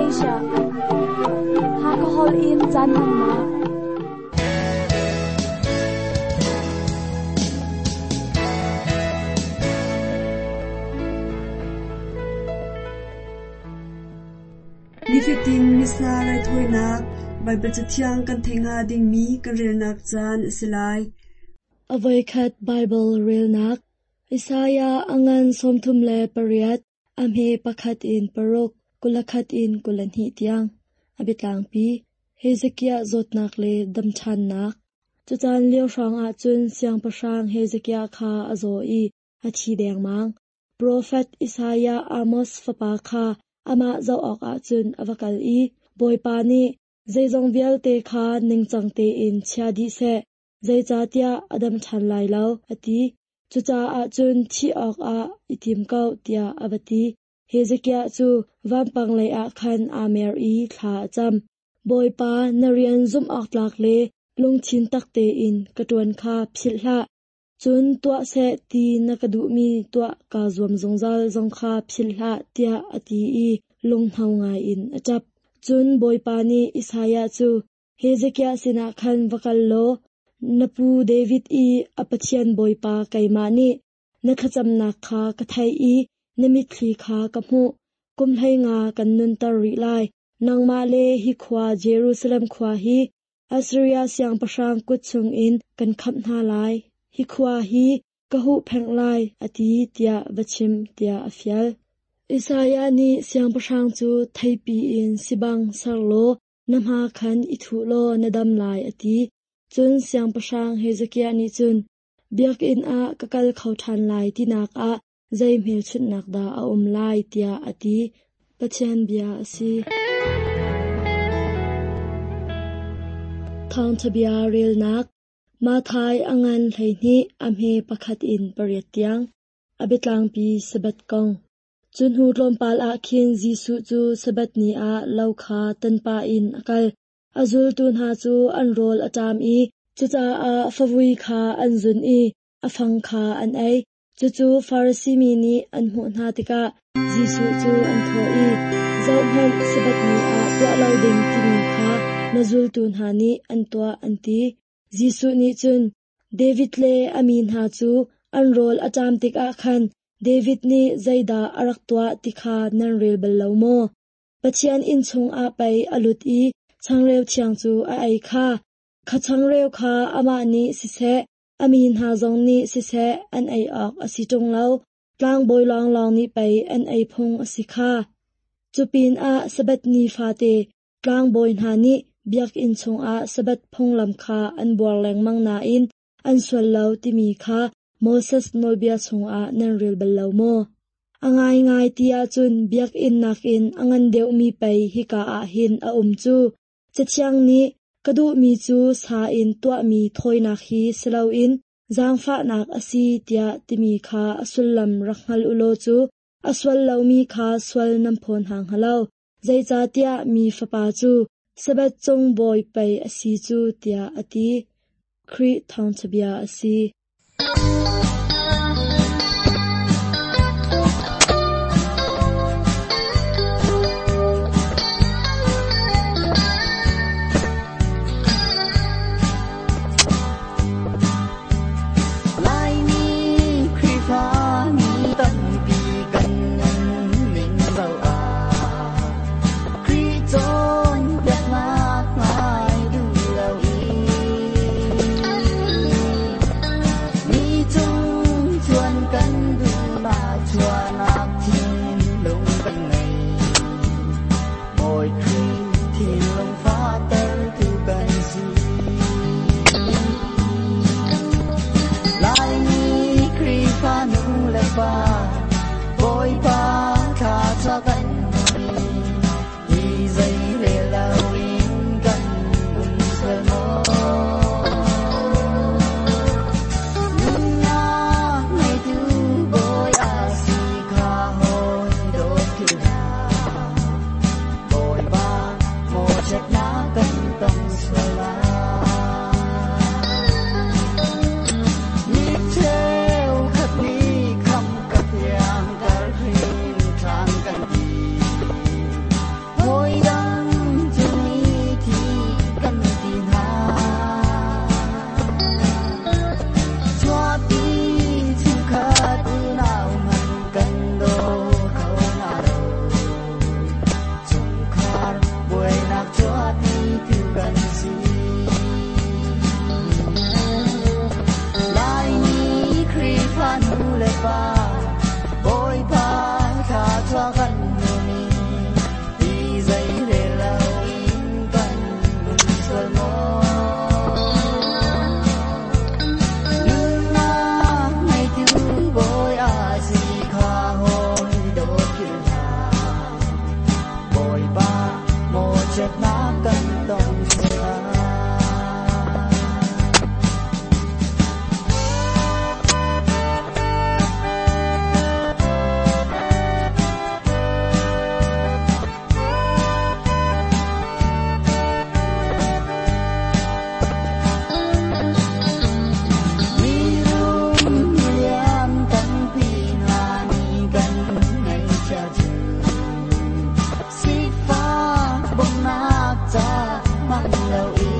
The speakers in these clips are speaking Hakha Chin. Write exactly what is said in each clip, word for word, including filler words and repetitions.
Asia. Hakha holh in caan hmannak. Nifatin Missa raithawinak Baibal Cathiang kan theih hnga dingmi kan relnak caan a si lai. A voikhat Baibal relnak Isaiah a ngan sawmthum le pariat, a hme pakhat in paruk, kulakhat in kulahnih tiang. A biatlangpi Hezekiah zawtnak le damṭhannak. Cucaan lio hrawngah cun siangpahrang Hezekiah kha a zaw i a thi dengmang. Profet Isaiah Amos fapa kha amah zoh awkah cun a va kal i Bawipa nih zeizong vialte kha ningcang tein chia dih seh, zeicahtiah a dam ṭhan lai lo, a ti. Cucaah cun thih awkah i tim ko, tiah a va ti. Hezekiah cu vampang leiah khan aa mer i thla a cam. Bawipa, na rian zumh awk tlak le lungthin tak tein ka ṭuan kha philh hlah. Cun tuah seh ti na ka duhmi tuah kaa zuam zungzal zong kha philh hlah, tiah a ti i lunghno ngaiin a ṭap. Cun Bawipa nih Isaiah cu Hezekiah sinah khan va kal law, na pu David i a Pathian Bawipa keimah nih na thlacamnak kha ka theih i na mitthli kha ka hmuh. Kum hlei nga kan nunter rih lai. Nangmah le hi khua Jerusalem khua hi Assiria siangpahrang kut chungin kan khamh hna lai. Hi khua hi ka huhphenh lai, a ti, tiah va chim, tiah a fial. Isaiah nih siangpahrang cu theipi in sibang ser law na hma khan i thuh law na dam lai, a ti. Cun siangpahrang Hezekiah nih cun biakinn ah ka kal kho ṭhan lai tinak ah zei hmelchunhnak dah a um lai, tiah a ti. Pathian bia a si. Thawngṭha bia relnak Matthai a ngan hleihnih a hme pakhat in pariat tiang. A biatlangpi Sabbath kong. Cu hnu tlawmpal ah khin Jesuh cu Sabbath ni ah lo kha tanpah in a kal. A zultu hna cu an rawl a ṭam i cucaah favui kha an zun i a fang kha an ei. Cucu Farasi mi nih an hmuh hna tikah Jesuh cu an thawh i, “Zohhmanh, Sabbath ni ah tuah lo ding timi kha na zultu hna nih an tuah,” an ti. Jesuh nih cun, David le a mi hna cu an rawl a ṭam tikah khan David nih zeidah a rak tuah ti kha nan rel bal lo maw? Pathian inn chungah pei a lut i changreu thiang cu a ei kha. Kha changreu kha amah nih siseh, a mi hna zong nih siseh an ei awk a si ṭung lo, tlangbawi lawnglawng nih pei an ei phung a si kha. Cu pinah Sabbath ni fate tlangbawi hna nih biakinn chungah Sabbath phunglam kha an buar lengmang nain an sual lo timi kha Moses nawlbia chungah nan rel bal lo maw? A ngaingai ti ahcun biakinn nakin a ngan deuhmi pei hika ah hin a um cu. Cathiang nih ka duhmi cu sa in tuahmi thawinak hi si loin zaangfahnak a si tiah timi kha a sullam rak hngal u law cu a sual lomi kha sual nan phaw hna hnga lo. Zeicahtiah mi Fapa cu Sabbath cung bawi pei a si cu, tiah a ti. Khrih thawngṭha bia a si. Laimi Khrihfami tampi kan nunning zoh ah Khrih cawnpiaknak ngai duh lo i Mawchiatnak kan tong sual. Mirum lian tampi hna nih kan ngaihchia cu sifak bawmhnak ca hman loin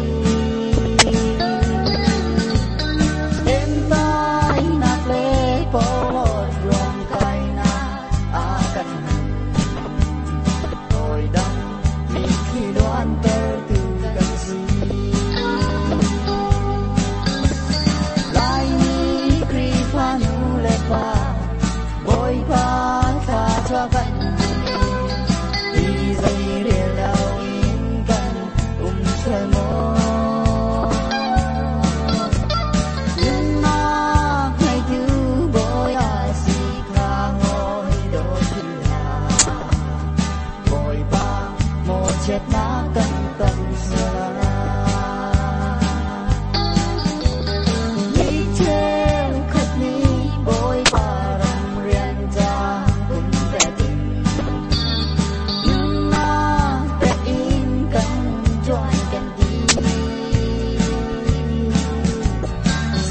entainak le porhlawt ruamkainak a kan hman. Hawi dang mitthli luantertu kan si. Laimi Khrihfa nu le pa Bawipa thluachuah kan hmu. Hi zei rel loin kan um sual maw? Nunnak ngeitu Bawi a si kha hawi dawt philh hlah. Bawipa mawchiatnak kan tong sual. Mi cheukhat nih Bawipa ram rian ca pumpek in nunnak pek in kan ṭuan kan ti.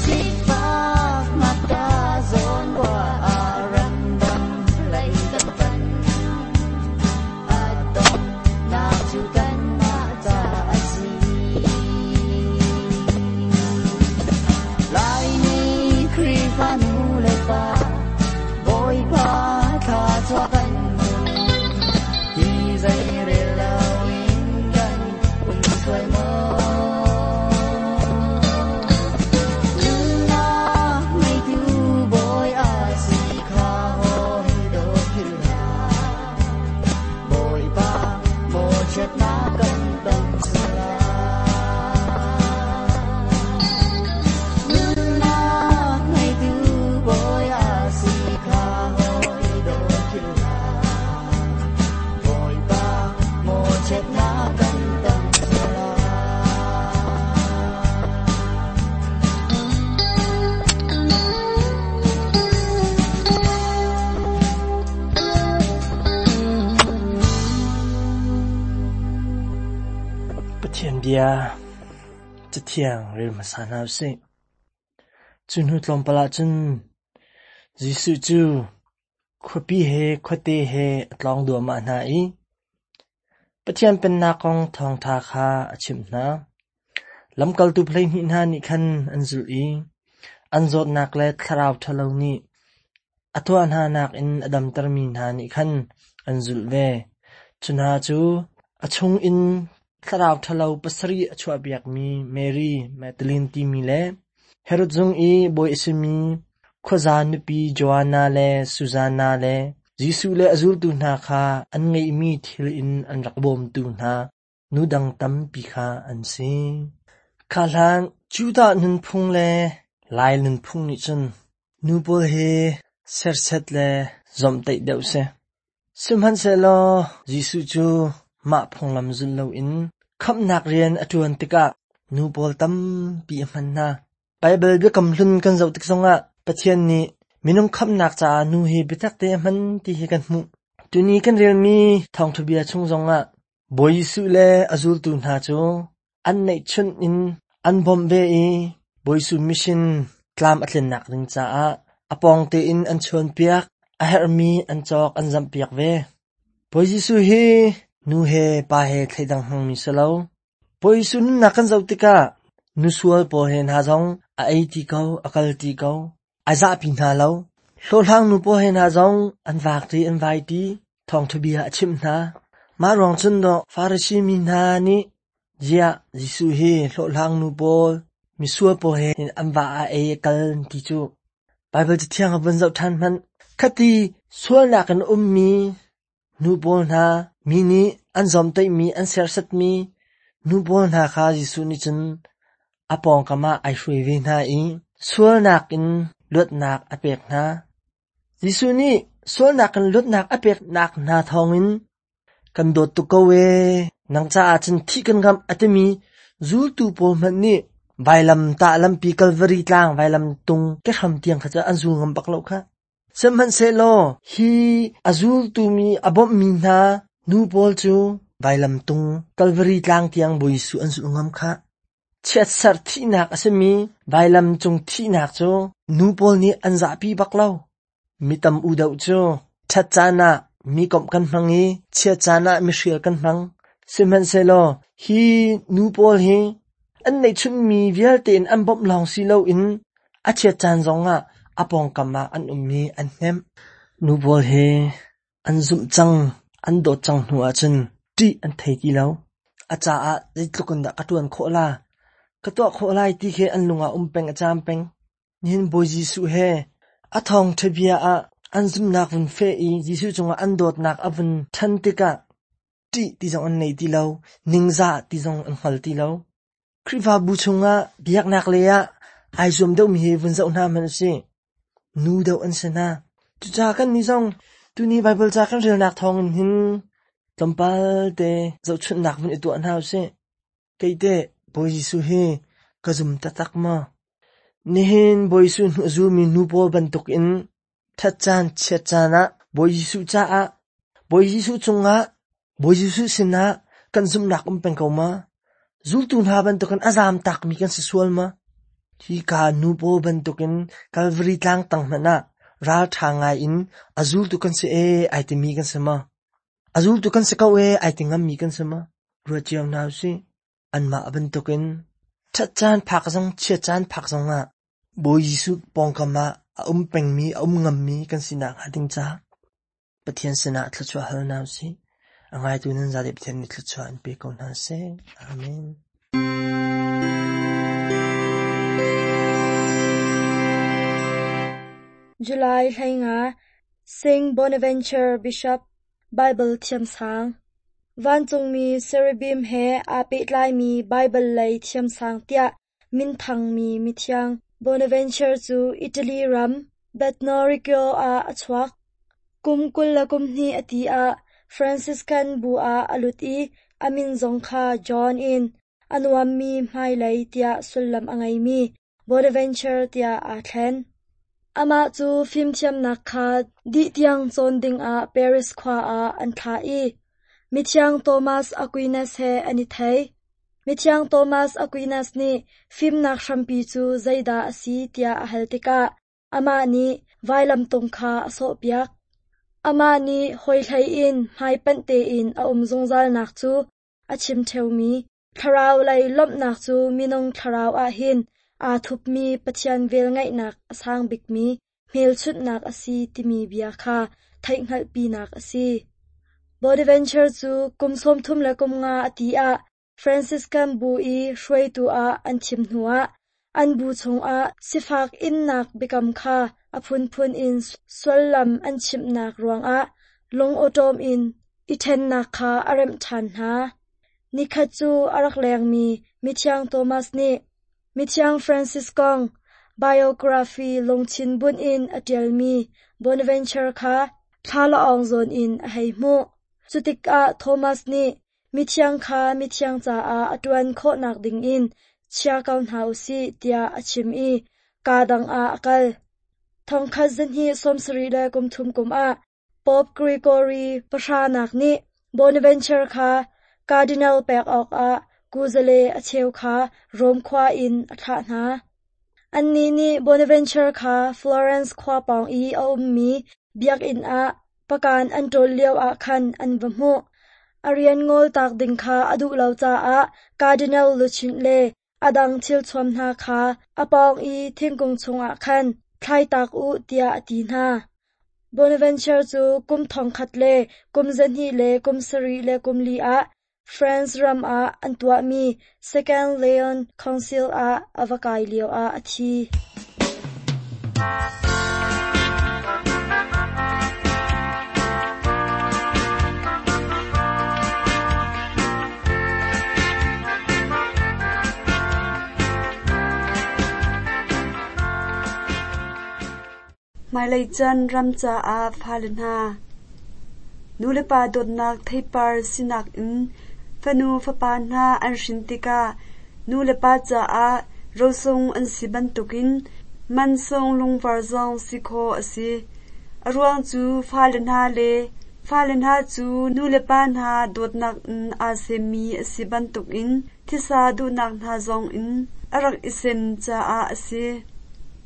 Sifak ngakṭah zawn ruah ah ramdang lei kan panh. A donghnak cu kanmah ca a si. Laimi Khrihfa nu le pa Bawipa thluachuah kan hmu. Hi zei rel loin kan um sual maw? Nunnak ngeitu Bawi a si kha hawi dawt philh hlah. Bawipa mawchiatnak kan tong sual. Nunnak ngeitu Bawi a si kha hawi dawt philh hlah. Bawipa mawchiatnak kan tong sual. Pathian bia cathiang rel hmasa hna usih. Cu hnu tlawmpal ah cun Jesuh cu khuapi he khuate he a tlawng duahmah hna i Pathian Pennak kong thawngṭha kha a chimh hna. Lamkaltu hleihnih hna nih khan an zulh i an zawtnak le thlarau ṭhalo nih a tuah hnanak in a damtermi hna nih khan an zulh ve. Cu hna cu a chungin thlarau ṭhalo pasarih a chuahpiakmi Mary Magdalene timi le Herod zung i bawi a simi khuaza nupi Joanna le Susanna le Jesuh le a zultu hna kha an ngeihmi thil in an rak bawmtu hna nu dang tampi kha an si. Kha hlan Judah nunphung le Lai nunphung nih cun nu pawl hi serset le zomhtaih deuh si. Sihmanhsehlaw Jesuh cu mah phunglam zulh loin khamhnak rian a ṭuan tikah nu pawl tampi a hman hna. Baibal biakam hlun kan zoh tik zongah Pathian nih minung khamhnak caah nu hi biatak te a hman ti hi kan hmuh. Tuni kan relmi thawngṭha bia chung zongah Bawi Jesuh le a zultu hna cu an neihchunh in an bawmh ve i Bawi Jesuh mission tlam a tlinnak ding caah a pawng tein an chawnpiak, a herhmi an cawk an zamhpiak ve. Bawi Jesuh hi nu he pa he thleidang hmangmi si lo. Bawi Jesuh nunnak kan zoh tikah nu sual pawl he hna zong a ei ti ko, a kal ti ko, a zahpi hna lo. Hlawhhlang nu pawl he hna zong an vak ti an vai ti, thawngṭha bia a chimh hna. Mah ruang cun dawh Farasi mi hna nih ziah Jesuh hi hlawhhlang nu pawl, misual pawl he an va a ei a kal ti cu Baibal cathiang a vun zoh ṭhan hmanh. Khati sualnak in ummi nu pawl hna, mi nih an zawmtaihmi, an serhsatmi nu pawl hna kha Jesuh nih cun a pawngkam ah ai hruai ve hna i sualnak in luatnak a pek hna. Jesuh nih sualnak in luatnak a peknak hna thawngin kan dawt tuk ko ee, Nang caah cun thih kan ngamh a timi zultu pawl hmanh nih vailam tah lampi Kalvari tlang vailam tung kehram tiang kha cu an zul ngam bak lo kha. Sihmanhsehlaw hi a zultu mi a bawmhmi hna nu pawl cu vailam tung Kalvari tlang tiang Bawi Jesuh an zulh ngam kha. Chiatserh thihnak a simi vailam cung thihnak cu nu pawl nih an zahpi bak lo. Mi tam u deuh cu ṭhat caan ah mi komh kan hmang i chiat caan ah mi hrial kan hmang. Sihmanhsehlaw hi nu pawl hi an neihchunmi vialte in an bawmh lawng si loin a chiat caan zongah a pawngkam ah an ummi an hnemh. Nu pawl hi an zumh cang, an dawt cang hnu ahcun ṭih an thei ti lo. A caah zeitluk in dah ka ṭuan khawh la, ka tuah khawh lai ti khi an lung ah um peng a caam peng. Nihin Bawi Jesuh he a thawngṭha bia ah an zumhnak vun feh i Jesuh cungah an dawtnak a vun ṭhan tikah ṭih ti zong an nei ti lo, ningzah ti zong an hngal ti lo. Khrihfabu chungah biaknak lei ah ai zuam deuhmi hi vun zoh hna hmanh usih. Nu deuh an si hna. Cucaah kan nih zong tuni Baibal ca kan relnak thawngin hin tlawmpal te zohchunhnak vun i tuah hna usih. Kei teh Bawi Jesuh hi ka zum taktak maw? Nihin Bawi Jesuh hnu a zulmi nu pawl bantukin ṭhat caan chiat caan ah Bawi Jesuh caah Bawi Jesuh cungah Bawi Jesuh sinah kan zumhnak um peng ko ma? Zultu hna bantukin a zaam takmi kan si sual ma? Hika nu pawl bantukin Kalvari tlang tang hmanh ah ralṭha ngai in a zultu kan si ee ai timi kan si ma? A zultu kan si ko ee ai ti ngammi kan si ma? Ruat cio hna usih. Anmah bantukin ṭhat caan phak zong chiat caan phak zongah Bawi Jesuh pawngkam ah a um pengmi a um ngammi kan si nakhnga ding caah Pathian sinah thluachuah hal hna usih. A ngaitu nan zate Pathian nih thluachuah an pe ko hna seh. Amen. July hleinga Saint Bonaventure Bishop Bible thiamsang Vancungmi Cherubim he aa pehtlaimi Baibal lei thiamsang tiah minthangmi mithiang Bonaventure cu Italy ram Bagnoregio ah a chuak. Kum kul le kum hnih a ti ah Franciscan bu ah a lut i a min zong kha John in a nuammi hmailei tiah sullam a ngeimi Bonaventure tiah aa thlen. Amah cu fimthiamnak kha dih tiang cawn dingah Paris khua ah an thlah i Mithiang Thomas Aquinas he an i thei. Mithiang Thomas Aquinas nih fimnak hrampi cu zeidah a si tiah a hal tikah amah nih vailamtung kha a sawhpiak. Amah nih hawihlei in hmaipanh tein a um zungzalnak cu a chim ṭheumi thlarau lei lawmhnak cu minung thlarau ah hin aa thupmi Pathian velngeihnak a sang bikmi hmelchunhnak a si timi bia kha theihhngalhpinak a si. Bonaventure cu kum sawmthum le kum nga a ti ah Franciscan bu i hruaitu ah an thim hnuah an bu chungah sifak innak biakam kha a phunphun in sullam an chimhnak ruangah lungawṭawm in i ṭhennak kha a remh ṭhan hna. Nikhat cu a rak lengmi Mithiang Thomas nih Mithiang Francis kong biography lungthin bunh in a ṭialmi Bonaventure kha thlalaawng zawn in a hei hmuh. Cutikah Thomas nih mithiang kha mithiang caah a ṭuan khawhnak dingin chia ko hna usih tiah a chim i kaa dang ah a kal. Thongkhat zahnih sawmsarih le kum thum kum ah Pope Gregory pahranak nih Bonaventure kha Cardinal pek awkah kuzale a cheu kha Rom khua in a thlah hna. Annih nih Bonaventure kha Florence khua pawng i a ummi biakinn ah pakan an ṭawl lioah khan an va hmuh. A rian ngoltak ding kha a duh lo caah Cardinal luchin le a dang thilthuam hna kha a pawng i thingkung chungah khan thlaitak u tiah a ti hna. Bonaventure cu kum thongkhat le kum zahnih le kum sarih le kum li ah France ram ah an tuahmi Second Lyon Council ah a va kai lioah a thi. Hmailei caan ram caah fale hna. Nulepa dawtnak theipar sinak in Fanu fapa hna an hrin tikah nu le pa caah rosung an si bantukin mansung lungvar zong si khawh a si. A ruang cu fale hna le fale hna cu nu le pa hna dawtnak in aa semmi a si bantukin thisa duhnak hna zong in a rak i sem caah a si.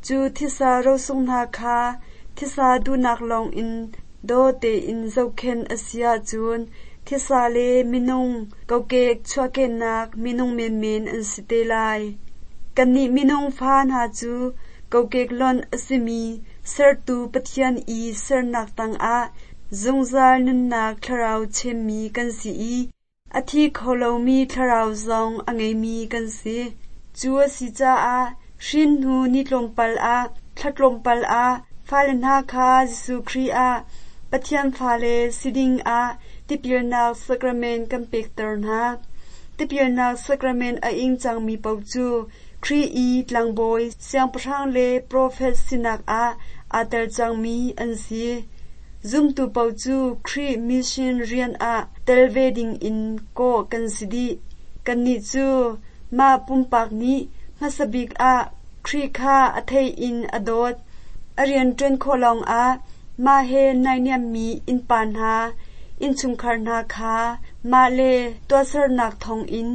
Cu thisa rosung hna kha thisa duhnak lawngin daw tein zohkhenh a si ahcun thisa le minung kokek chuahkehnak minung menmen an si te lai. Kannih minung fa hna cu kokek lonh a simi sertu Pathian i sernak tangah zungzal nunnak thlarau chemmi kan si i a thi kho lomi thlarau zong a ngeimi kan si. Cu a si caah hrin hnu ni tlawmpal ah, thla tlawmpal ah fale hna kha Jesuh Khrih ah Pathian fale si ding ah tipilnak sacrament kan pekter hna. Tipilnak sacrament a ing cangmi paoh cu Khrih i tlangbawi, siangpahrang le profet sinak ah aa tel cangmi an si. Zumtu paoh cu Khrih mission rian ah tel ve ding in kawh kan si dih. Kannih cu mah pumpak nih hmasa bik ah Khrih kha a theih in a dawt. A rian ṭuan khawh lawngah mah he naihniammi innpa hna, innchungkhar hna kha mah le tuahsernak thawngin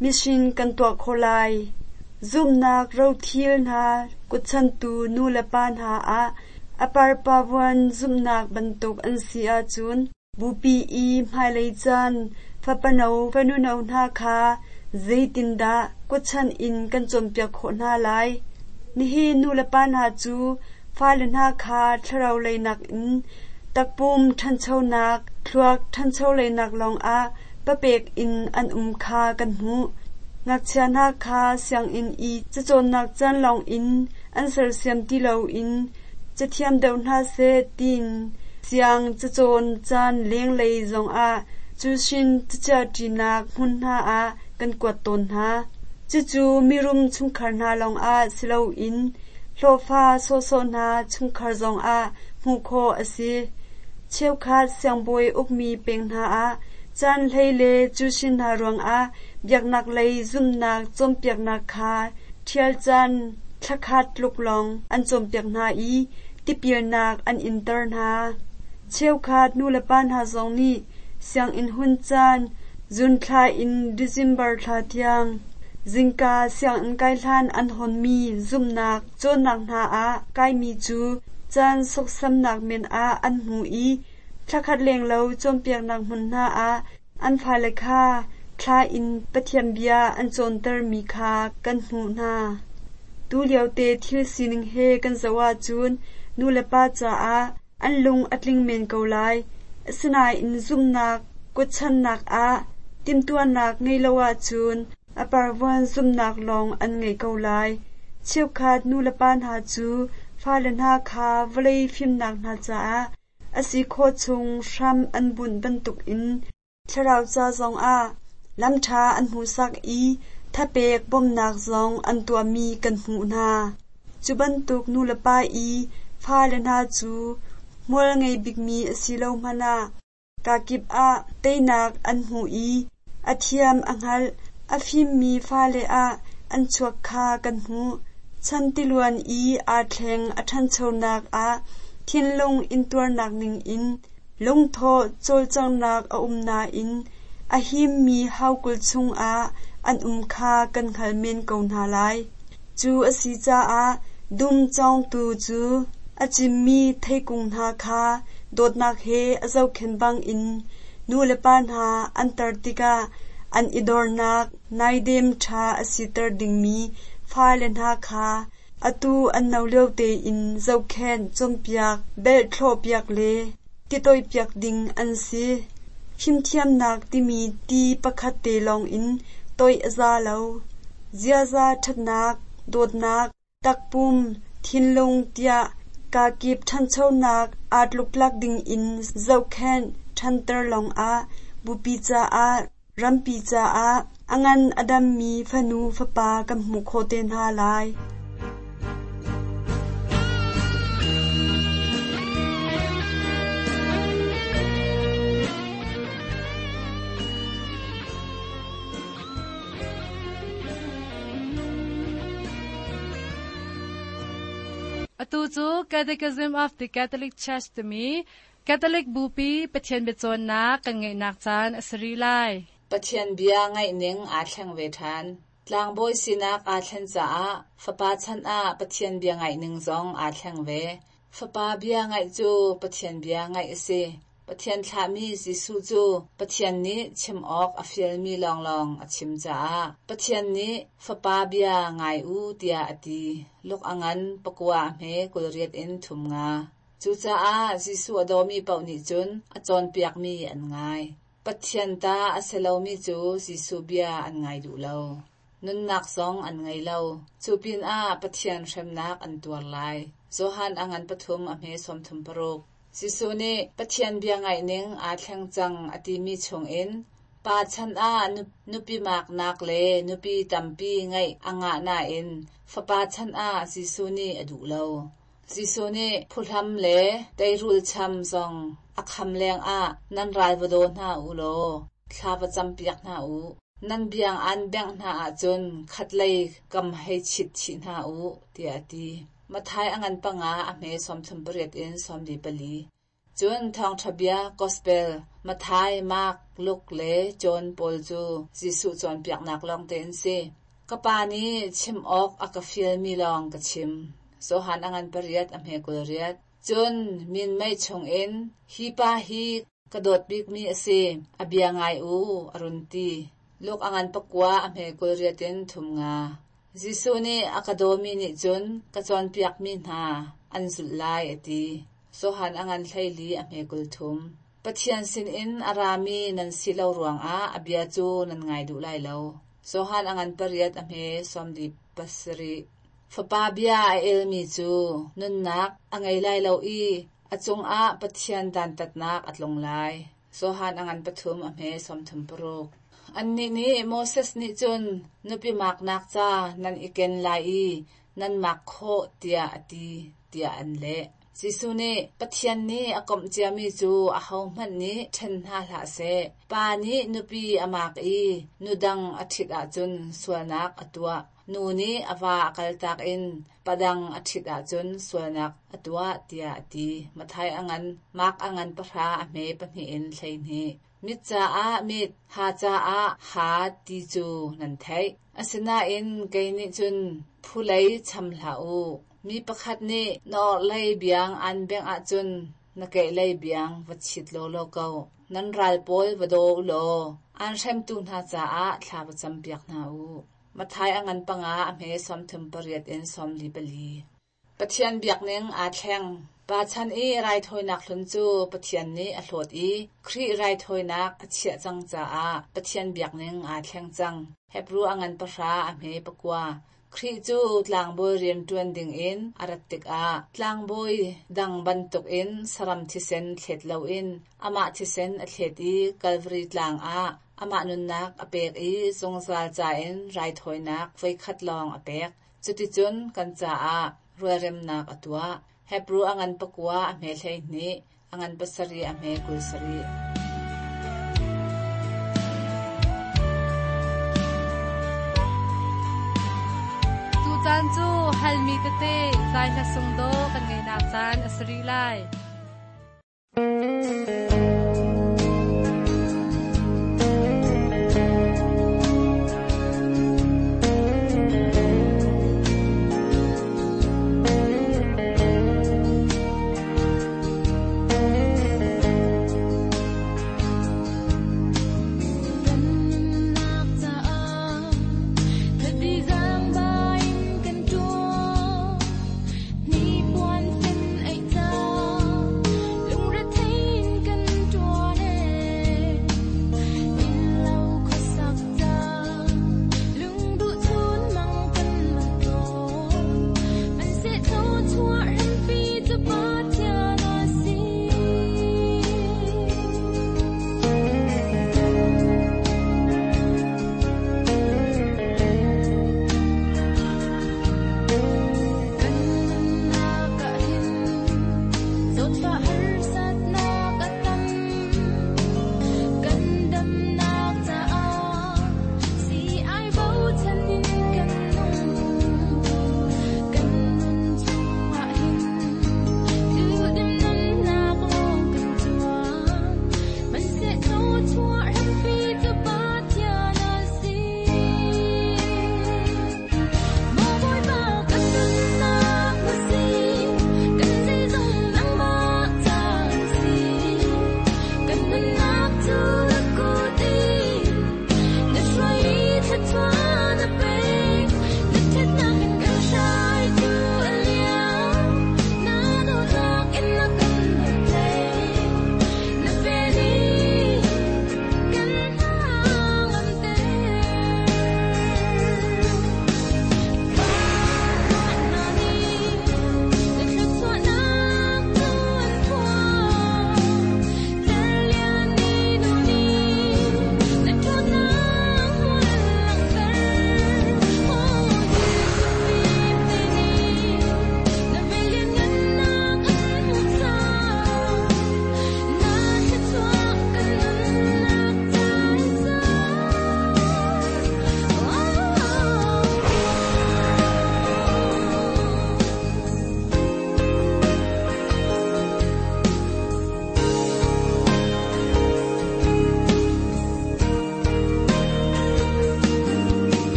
mission kan tuah khawh lai. Zumhnak rothil hna kutchantu nu le pa hna ah a parpavuan zumhnak bantuk an si ahcun bupi i hmailei caan fapano fanuno hna kha zeitindah kutchan in kan cawnpiak khawh hna lai. Nihin nu le pa hna cu fale hna kha thlarau leinak in takpum ṭhanchonak, thluak ṭhancho leinak lawngah papek in an um kha kan hmuh. Ngakchia hna kha sianginn i cacawnnak caan lawngin an sersiam ti loin cathiam deuh hna seh tiin siang cacawn caan lenglei zongah cusin cachiahṭinak hmun hna ah kan kuat tawn hna. Cucu mirum chungkhar hna lawngah si loin hlawhfa sawhsawh hna chungkhar zongah hmuh khawh a si. Cheukhat siangbawi ukmi peng hna ah caan hlei le cusin hna ruangah biaknak lei zumhnak cawnpiaknak kha ṭhial caan thlakhat tluk lawng an cawnpiak hna i tipilnak an inter hna. Cheukhat nulepa hna zong nih sianginn hun caan June thla in December thla tiang zingka sianginn kai hlan an hawnmi zumhnak cawnnak hna ah kaimi cu caan sawksamnak men ah an hmu i thlakhat lenglo cawnpiaknak hmun hna ah an fale kha thla in Pathian bia an cawntermi kha kan hmuh hna. Tulio te thil sining he kan zoh ahcun nulepa caah an lung a tling men ko lai. Asinain zumhnak kutchannak ah timhtuahnak ngei lo ahcun a parvuan zumhnak lawng an ngei ko lai. Cheukhat nulepa hna cu fale hna kha vawlei fimnak hna caah a si khawh chung hram an bunh bantukin thlarau ca zongah lamṭha an hmuhsak i thapek bawmhnak zong an tuahmi kan hmuh hna. Cu bantuk nulepa i fale hna cu hmual ngei bikmi a si lo hmanh ah kakip ah teinak an hmu i a thiam a hngalh a fimmi fale ah an chuak kha kan hmuh. Chan tiluan i aa thleng a ṭhanchonak ah thinlung intuarnak ningin lungthawh cawlcanghnak a um nain a himmi haukul chungah an um kha kan hngal men ko hna lai. Cu a si caah dum cawngtu cu a cimmi theikung hna kha dawtnak he a zohkhenh bangin nulepa hna an tar tikah an i dornak naidem ṭha a siter dingmi fale hna kha atu an no lio tein zohkhenh cawnpiak belhthlawhpiak le titoihpiak ding an si. Fimthiamnak timi ti pakhat te lawngin toih a za lo. Ziaza ṭhatnak, dawtnak, takpum, thinlung tiah kakip ṭhanchonak aa tluktlak dingin zohkhenh ṭhanter lawngah bupi caah, rampi caah a ngan a dammi fanu fapa kan hmuh khawh te hna lai. Atu cu Catechism of the Catholic Church timi Catholic Bupi Pathian biacawnnak kan ngeihnak caan a si rih lai. Pathian bia ngaih ning aa thleng ve ṭhan. Tlangbawi sinak aa thlen caah fapa chan ah Pathian bia ngaih ning zong aa thleng ve. Fapa bia ngaih cu Pathian bia ngaih a si. Pathian thlahmi Jesuh cu Pathian nih chim awk a fialmi lawnglawng a chim caah Pathian nih fapa bia ngai u tiah a ti. Luk a ngan pakua a hme kul riat in thum nga. Cucaah Jesuh a dawmi paoh nih cun a cawnpiakmi an ngai. Pathian ta a si lomi cu Jesuh bia an ngai duh lo. Nunnak zong an ngei lo. Cu pinah Pathian hremnak an tuar lai. Johan a ngan pathum a hme sawmthum paruk. Jesuh nih Pathian bia ngaih ning aa thleng cang a timi chungin pa chan ah nupi maknak le nupi tampi ngeih a ngah nain fapa chan ah Jesuh nih a duh lo. Jesuh nih phuhlam le teirul cham zong a kham lengah nan ral va daw hna u law thla va campiak hna u. Nan biang an bengh hna ahcun khatlei kam hei chit chih hna u, tiah a ti. Matthai a ngan panga a hme sawmthum pariat in sawmli pali. Cun thawngṭha bia Gospel Matthai, Mark, Luke le John pawl cu Jesuh cawnpiaknak lawngte an si. Ka pa nih chim awk a ka fialmi lawng ka chim. Johan a ngan pariat a hme kul riat. Cun minmei chungin hi pa hi ka dawt bikmi a si, a bia ngai u, a run ti. Luke a ngan pakua a hme kul riat in thum nga. Jesuh nih a ka dawmi nih cun ka cawnpiakmi hna an zulh lai a ti. Johan a ngan hleili a hme kul thum. Pathian sinin a rami nan si lo ruangah a bia cu nan ngai duh lai lo. Johan a ngan pariat a hme sawmli pasarih. Fapa bia a elmi cu nunnak a ngei lai lo i a cungah Pathian dantatnak a tlung lai. Johan a ngan pathum a hme sawmthum paruk. Annih nih Moses nih cun nupi maknak ca nan i ken lai i nan mak khawh tiah a ti, tiah an leh. Jesuh nih Pathian nih a komh ciami cu ahohmanh nih ṭhen hna hlah seh. Pa nih nupi a mak i nu dang a ṭhit ahcun sualnak a tuah. Nu nih a va a kaltak in padang a ṭhit ahcun sualnak a tuah tiah a ti. Matthai a ngan, Mark a ngan pahra a hme pahnih in hleihnih. Mit caah mit, ha caah ha ti cu nan theih. Asinain kei nih cun phulei cham hlah u. Mi pakhat nih na orhlei biang aan bengh ahcun na kehlei biang va chit lawlaw ko. Nan ral pawl va daw u law aan hremtu hna caah thla va campiak hna u. Matthai a ngan panga a hme sawmthum pariat in sawmli pali. Pathian biakning aa thleng. Pa chan i raithawinak hlun cu Pathian nih a hlawt i Khrih raithawinak a chiah cang caah Pathian biakning aa thleng cang. Hebru a ngan pahra a hme pakua. Khrih cu tlangbawi rian ṭuan dingin a rat tikah tlangbawi dang bantukin saram thisen thlet loin amah thisen a thlet i Kalvari tlang ah amah nunnak a pek i zungzal ca in raithawinak voikhat lawng a pek. Cuticun kan caah rualremnak a tuah. Hebru a ngan pakua a hme hleihnih, a ngan pasarih a hme kul sarih. Tucaan cu halmi tete zai hla sung dawh kan ngeihnak caan a si rih lai. Kan nunnak caah thadi zaangba in kan ṭuan, hnipuan fen aih ca.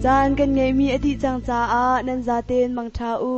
Caan kan ngeihmi a dih cang caah nan zaten mangṭha u.